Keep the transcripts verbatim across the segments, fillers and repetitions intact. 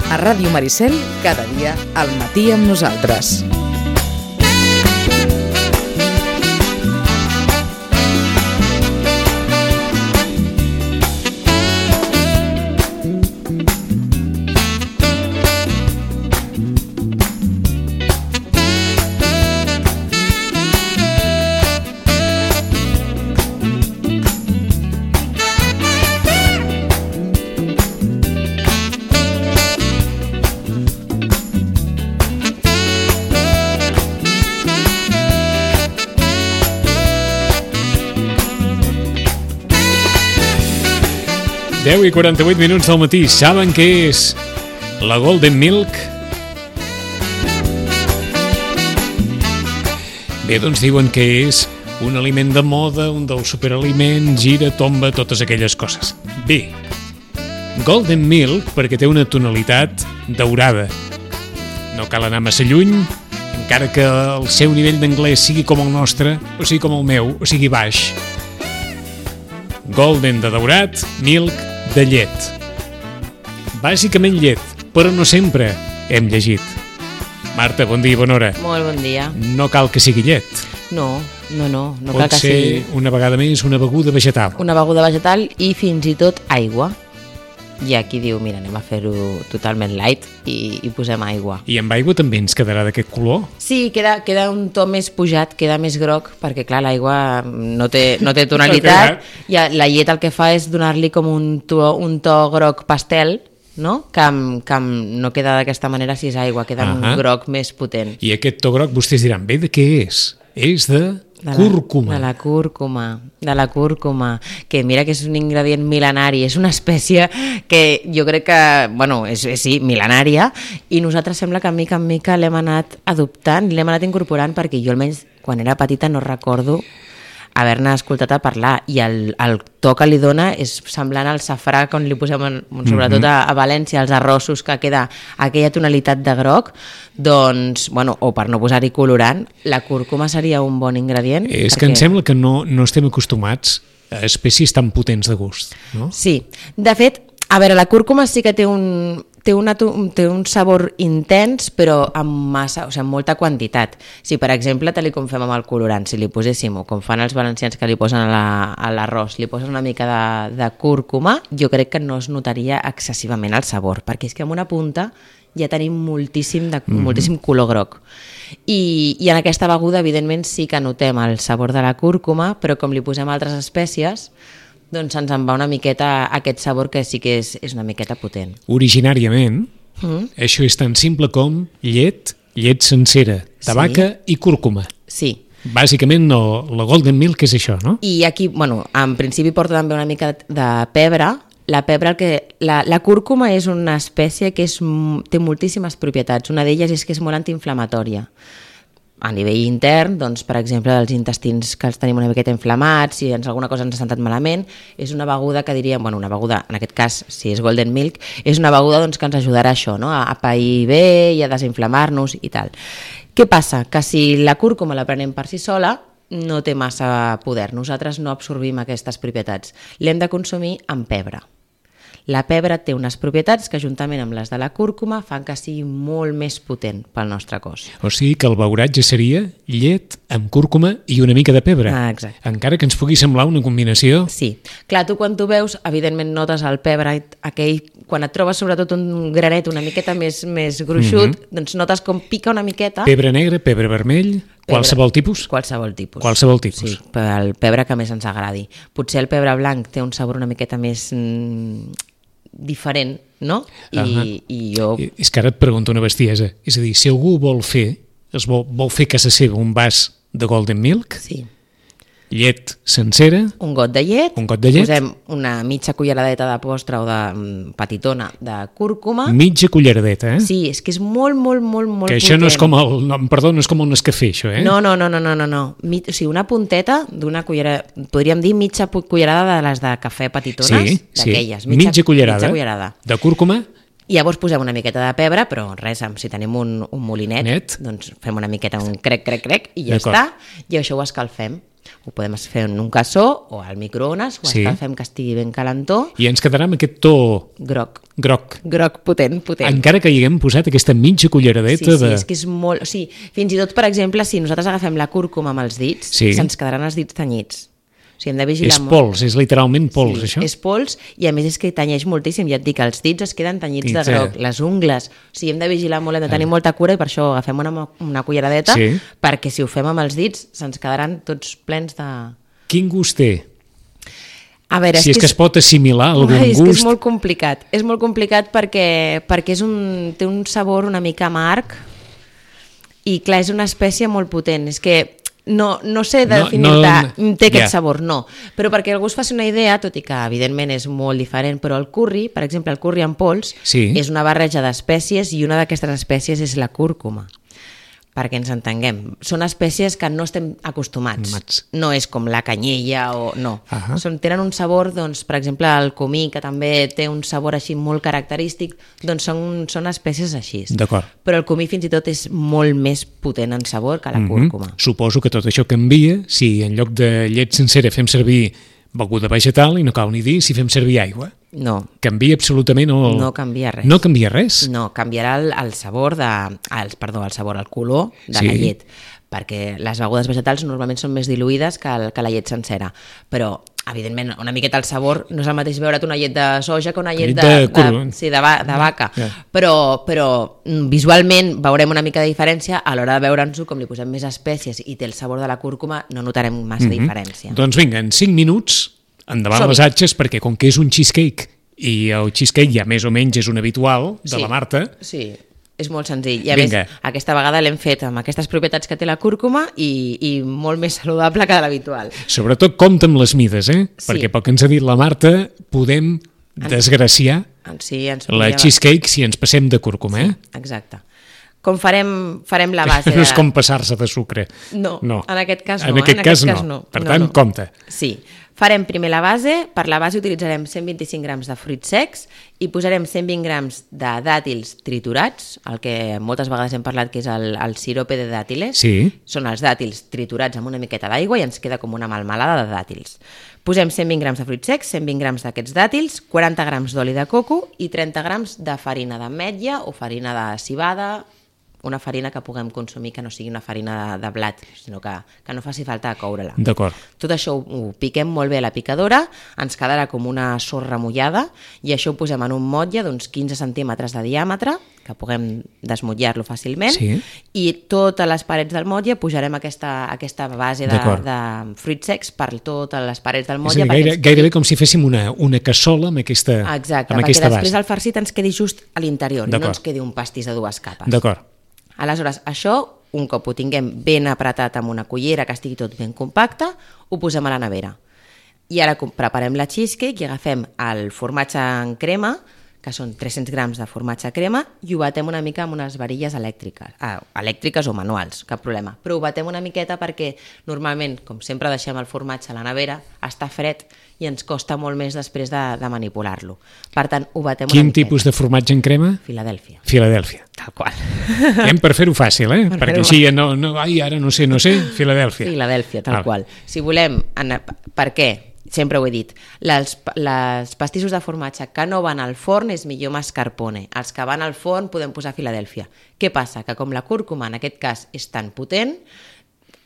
A Ràdio Maricel, cada dia al matí amb nosaltres. deu i quaranta-vuit minuts del matí. Saben què és la Golden Milk? Bé, doncs diuen que és un aliment de moda, un dels superaliments, gira, tomba, totes aquelles coses. Bé, Golden Milk perquè té una tonalitat daurada. No cal anar massa lluny, encara que el seu nivell d'anglès sigui com el nostre, o sigui com el meu, o sigui baix. Golden de daurat, milk de llet. Bàsicament llet, però no sempre, hem llegit. Marta, bon dia i bona hora. Molt bon dia. No cal que sigui llet. No, no, no. no Pot cal que ser sigui una vegada més una beguda vegetal. una beguda vegetal i fins i tot aigua. Hi ha qui diu, mira, anem a fer-ho totalment light i, i posem aigua. I amb aigua també ens quedarà d'aquest color? Sí, queda, queda un to més pujat, queda més groc, perquè clar, l'aigua no té, no té tonalitat, i la llet el que fa és donar-li com un to, un to groc pastel, no? Que, que no queda d'aquesta manera si és aigua, queda uh-huh. un groc més potent. I aquest to groc vostès diran, bé, de què és? És de... De la, cúrcuma. De la cúrcuma, de la cúrcuma, que mira que és un ingredient mil·lenari, és una espècie que jo crec que, bueno, és, és sí, mil·lenària, i nosaltres sembla que mica en mica l'hem anat adoptant, l'hem anat incorporant, perquè jo almenys quan era petita no recordo haver-ne escoltat a parlar, i el, el to que li dona és semblant al safrà quan li posem, en, sobretot a, a València, els arrossos, que queda aquella tonalitat de groc, doncs, bueno, o per no posar-hi colorant, la cúrcuma seria un bon ingredient. És perquè... que em sembla que no, no estem acostumats a espècies tan potents de gust, no? Sí, de fet, a veure, la cúrcuma sí que té un, té, una, té un sabor intens, però amb massa, o sigui, amb molta quantitat. Si, per exemple, tal com fem amb el colorant, si li poséssim, o com fan els valencians que li posen a l'arròs, li posen una mica de, de cúrcuma, jo crec que no es notaria excessivament el sabor, perquè és que amb una punta ja tenim moltíssim, de, mm-hmm. moltíssim color groc. I, I en aquesta beguda, evidentment, sí que notem el sabor de la cúrcuma, però com li posem altres espècies, doncs ens en va una miqueta aquest sabor que sí que és, és una miqueta potent. Originàriament, mm. això és tan simple com llet, llet sencera, de vaca sí. i cúrcuma. Sí. Bàsicament no, la Golden Milk és això, no? I aquí, bueno, en principi porta també una mica de pebre. La pebre, el que, la, la cúrcuma és una espècie que és, té moltíssimes propietats. Una d'elles és que és molt antiinflamatòria. A nivell intern, doncs, per exemple, dels intestins que els tenim una miqueta inflamats, si ens alguna cosa ens ha sentat malament, és una beguda que diríem, bueno, una beguda, en aquest cas, si és Golden Milk, és una beguda doncs, que ens ajudarà a això, no? a pair bé i a desinflamar-nos i tal. Què passa? Que si la cúrcuma la prenem per si sola, no té massa poder. Nosaltres no absorbim aquestes propietats. L'hem de consumir amb pebre. La pebre té unes propietats que, juntament amb les de la cúrcuma, fan que sigui molt més potent pel nostre cos. O sigui que el beuratge seria llet amb cúrcuma i una mica de pebre. Ah, exacte. Encara que ens pugui semblar una combinació. Sí. Clar, tu quan tu veus, evidentment notes el pebre, aquell, quan et trobes sobretot un granet una miqueta més, més gruixut, mm-hmm. doncs notes com pica una miqueta. Pebre negre, pebre vermell... Pebre, qualsevol tipus? Qualsevol tipus. Qualsevol tipus. Sí, el pebre que més ens agradi. Potser el pebre blanc té un sabor una miqueta més mm, diferent, no? I, uh-huh. i jo... És que ara et pregunto una bestiesa. És a dir, si algú vol fer, es vol, vol fer a casa seva un vas de Golden Milk, sí. llet sencera, un got de llet, un got de llet, posem una mitja culleradeta de postre o de um, petitona de cúrcuma. Mitja culleradeta, eh? Sí, és que és molt, molt, molt, molt que això potent. no és com el, no, perdó, no és com el Nescafé, això, eh? No, no, no, no, no, no, no. Mi, o sigui, una punteta d'una cullerada, podríem dir mitja cullerada de les de cafè petitones, sí, d'aquelles. Sí, mitja, mitja cullerada, mitja cullerada de cúrcuma. I llavors posem una miqueta de pebre, però res, si tenim un, un molinet, Net. doncs fem una miqueta, un crec, crec, crec, i ja està, i això ho escalfem. Ho podem fer en un cassó o al microones, o Sí. fem que estigui ben calentó. I ens quedarà amb aquest to Groc. groc. Groc potent, potent. Encara que hi haguem posat aquesta mitja culleradeta Sí, sí, de... és que és molt... O sigui, fins i tot, per exemple, si nosaltres agafem la cúrcuma amb els dits, Sí. se'ns quedaran els dits tenyits. O sigui, hem de vigilar És molt. pols, és literalment pols, Sí, això? és pols, i a més és que tenyeix moltíssim. Ja et dic, els dits es queden tenyits de Tenyits de- groc, les ungles. O sigui, hem de vigilar molt, hem de tenir molta cura, i per això agafem una, una culleradeta, Sí. perquè si ho fem amb els dits se'ns quedaran tots plens de... Quin gust té? A veure, Si és que es pot assimilar algun Ai, és que és gust... molt complicat. És molt complicat perquè, perquè és un, té un sabor una mica amarg i, clar, és una espècie molt potent. És que no, no sé No, definir-te, no- té aquest ja. sabor, no. Però perquè algú es faci una idea, tot i que evidentment és molt diferent, però el curri, per exemple, el curri en pols, Sí. és una barreja d'espècies i una d'aquestes espècies és la cúrcuma. Perquè ens entenguem. Són espècies que no estem acostumats. Mats. No és com la canyella o... No. Ahà. Són, tenen un sabor, doncs, per exemple, el comí, que també té un sabor així molt característic, doncs són, són espècies així. D'acord. Però el comí fins i tot és molt més potent en sabor que la Mhm. cúrcuma. Suposo que tot això canvia si en lloc de llet sencera fem servir beguda vegetal, i no cal ni dir si fem servir aigua. No, Canvia absolutament el... no canvia res. No canvia res? No, canviarà el, el sabor de... El, perdó, el sabor, el color de Sí. la llet, perquè les begudes vegetals normalment són més diluïdes que, el, que la llet sencera, però evidentment una miqueta el sabor no és el mateix veure't una llet de soja que una llet Llet de, de de, cur- de, sí, de, va, de vaca, Ja. però, però mm, visualment veurem una mica de diferència a l'hora de veure'ns-ho, com li posem més espècies i té el sabor de la cúrcuma, no notarem massa Mhm. diferència. Doncs vinga, en cinc minuts, endavant Som-hi. les atxes, perquè com que és un cheesecake, i el cheesecake ja més o menys és un habitual de Sí. la Marta, Sí, és molt senzill. I a Vinga. més, aquesta vegada l'hem fet amb aquestes propietats que té la cúrcuma i, i molt més saludable que l'habitual. sobretot compta amb les mides, eh? Sí. Perquè pel que ens ha dit la Marta, podem desgraciar Sí, ens la podria- cheesecake si ens passem de cúrcuma, eh? Exacte. Com farem, farem la base No és de... com passar-se de sucre. No, no. en aquest cas no. En eh? aquest cas no. Per tant, compte. Sí. Farem primer la base. Per la base utilitzarem cent vint-i-cinc grams de fruits secs i posarem cent vint grams de dàtils triturats, el que moltes vegades hem parlat que és el, el sirope de dàtiles. Sí. Són els dàtils triturats amb una miqueta d'aigua i ens queda com una melmelada de dàtils. Posem cent vint grams de fruits secs, cent vint grams d'aquests dàtils, quaranta grams d'oli de coco i trenta grams de farina d'ametlla o farina de civada, una farina que puguem consumir que no sigui una farina de, de blat, sinó que, que no faci falta coure-la. D'acord. Tot això ho, ho piquem molt bé a la picadora, ens quedarà com una sorra mullada i això ho posem en un motlle d'uns quinze centímetres de diàmetre, que puguem desmotllar-lo fàcilment, Sí. i totes les parets del motlle pujarem aquesta, aquesta base de, D'acord. de fruits secs per totes les parets del És a motlle. dir, perquè gaire, ens- gairebé com si féssim una, una cassola amb aquesta, Exacte, amb perquè aquesta després base. el farcit ens quedi just a l'interior i no D'acord. ens quedi un pastís de dues capes. D'acord. Aleshores, això, un cop ho tinguem ben apretat amb una cullera que estigui tot ben compacte, ho posem a la nevera. I ara com- preparem la cheesecake i agafem el formatge en crema, que són tres-cents grams de formatge crema, i ho batem una mica amb unes varilles elèctriques, ah, elèctriques o manuals, cap problema. Però ho batem una miqueta perquè normalment, com sempre deixem el formatge a la nevera, està fred i ens costa molt més després de, de manipular-lo. Per tant, ho batem una Quin miqueta. tipus de formatge en crema? Filadèlfia, Filadèlfia. tal qual. Hem per fer-ho fàcil, eh? Per Perquè fer-ho així ja no, no... Ai, ara no sé, no sé, Filadèlfia. Filadèlfia, tal Ah. qual. Si volem... En, per què? Sempre ho he dit. Les, les pastissos de formatge que no van al forn és millor mascarpone. Els que van al forn podem posar Filadèlfia. Què passa? Que com la cúrcuma en aquest cas és tan potent,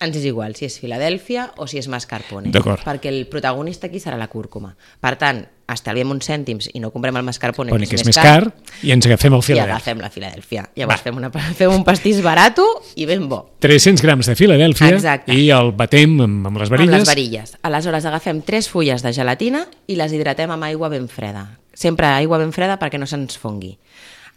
ens és igual si és Filadèlfia o si és mascarpone. D'acord. Perquè el protagonista aquí serà la cúrcuma. Per tant, estalviem uns cèntims i no comprem el mascarpone, Pone que és més car, i ens agafem el i Filadèlfia. agafem la Filadèlfia. Llavors Va. fem, una, fem un pastís barato i ben bo. tres-cents grams de Filadèlfia Exacte. i el batem amb, amb les varilles. Amb les varilles. Aleshores agafem tres fulles de gelatina i les hidratem amb aigua ben freda. Sempre aigua ben freda perquè no se'ns fongui.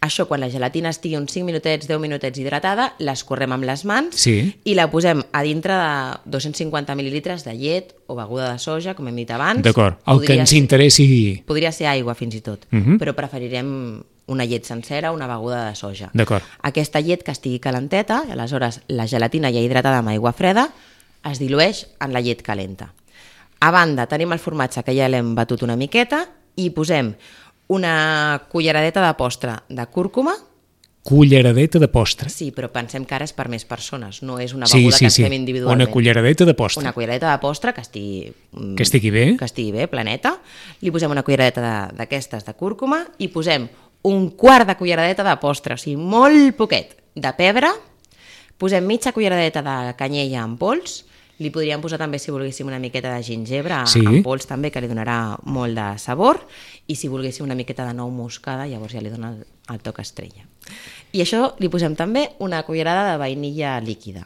Això, quan la gelatina estigui uns cinc minutets, deu minutets hidratada, l'escorrem amb les mans Sí. i la posem a dintre de dos-cents cinquanta mil·lilitres de llet o beguda de soja, com hem dit abans. D'acord. El que Podria ens ser- interessi... Podria ser aigua, fins i tot, Mhm. però preferirem una llet sencera o una beguda de soja. D'acord. Aquesta llet que estigui calenteta, i aleshores la gelatina ja hidratada amb aigua freda, es dilueix en la llet calenta. A banda, tenim el formatge que ja l'hem batut una miqueta i posem una culleradeta de postre de cúrcuma culleradeta de postre. Sí, però pensem que ara és per més persones, no és una Sí, beguda sí, que sí. ens fem individualment. Una culleradeta de postre. Una culleradeta de postre que estigui... mm, Que estigui bé. Que estigui bé, planeta. Li posem una culleradeta de- d'aquestes de, de cúrcuma i posem un quart de culleradeta de postre, o sigui, molt poquet, de pebre. Posem mitja culleradeta de canyella en pols. Li podríem posar també, si volguéssim, una miqueta de gingebre Sí. en pols també, que li donarà molt de sabor. I si volguéssim una miqueta de nou moscada, llavors ja li dona el, el toc estrella. I això li posem també una cullerada de vainilla líquida.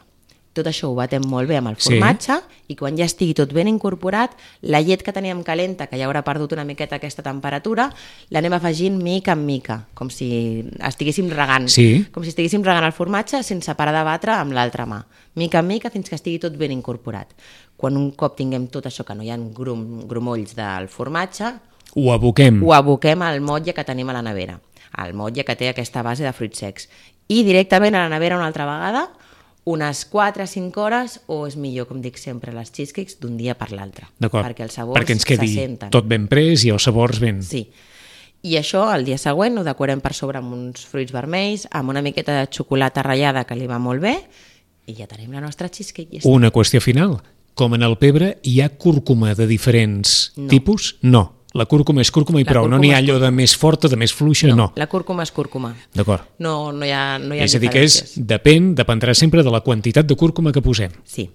Tot això ho batem molt bé amb el Sí. formatge i quan ja estigui tot ben incorporat, la llet que teníem calenta, que ja haurà perdut una miqueta aquesta temperatura, l'anem afegint mica en mica, com si estiguéssim regant, Sí. com si estiguéssim regant el formatge sense parar de batre amb l'altra mà, mica en mica fins que estigui tot ben incorporat. Quan un cop tinguem tot això, que no hi ha grum, grumolls del formatge, Ho aboquem. ho aboquem al motlle que tenim a la nevera, al motlle que té aquesta base de fruits secs. I directament a la nevera una altra vegada, unes quatre a cinc hores, o és millor, com dic sempre, les cheesecakes d'un dia per l'altre. D'acord. Perquè els sabors Perquè ens quedi se senten. tot ben pres i els sabors ben... Sí. I això, el dia següent, ho decorem per sobre amb uns fruits vermells, amb una miqueta de xocolata ratllada que li va molt bé, i ja tenim la nostra cheesecake. I ja està. Una qüestió final. Com en el pebre, hi ha cúrcuma de diferents No. tipus? No. La cúrcuma és cúrcuma i La prou. No cúrcuma n'hi ha és allò de més forta, de més fluixa, no. La cúrcuma és cúrcuma. D'acord. No, no hi ha, no hi ha És a dir, que és, diferències. depèn, dependrà sempre de la quantitat de cúrcuma que posem. Sí,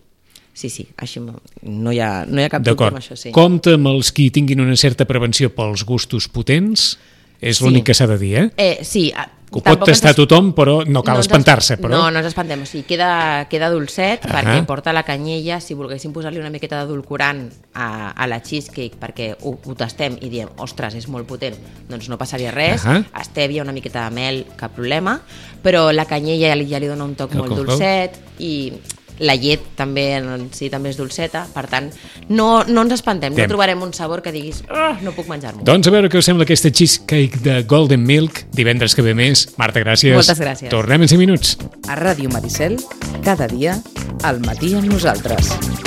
sí, sí. Així no no hi ha, no hi ha cap dubte D'acord. amb això, sí. Compte amb els qui tinguin una certa prevenció pels gustos potents, és Sí. l'únic que s'ha de dir, eh? Eh, sí, a- Que ho pot tampoc ens tastar es- tothom, però no cal no ens es- espantar-se. Però... No, no ens espantem, o sigui, queda, queda dolcet Ahà. perquè porta la canyella, si volguéssim posar-li una miqueta d'edulcorant a, a la cheesecake perquè ho, ho tastem i diem, ostres, és molt potent, doncs no passaria res, Ahà. estèvia, una miqueta de mel, cap problema, però la canyella ja li, ja li dona un toc Cal, molt cal, cal. dolcet i la llet també, en si també és dolceta, per tant, no, no ens espantem, Tem. no trobarem un sabor que diguis, oh, no puc menjar-m'ho. Doncs a veure què us sembla aquesta cheesecake de Golden Milk, divendres que ve més. Marta, gràcies. Moltes gràcies. Tornem en cinc minuts. A Ràdio Maricel, cada dia, al matí amb nosaltres.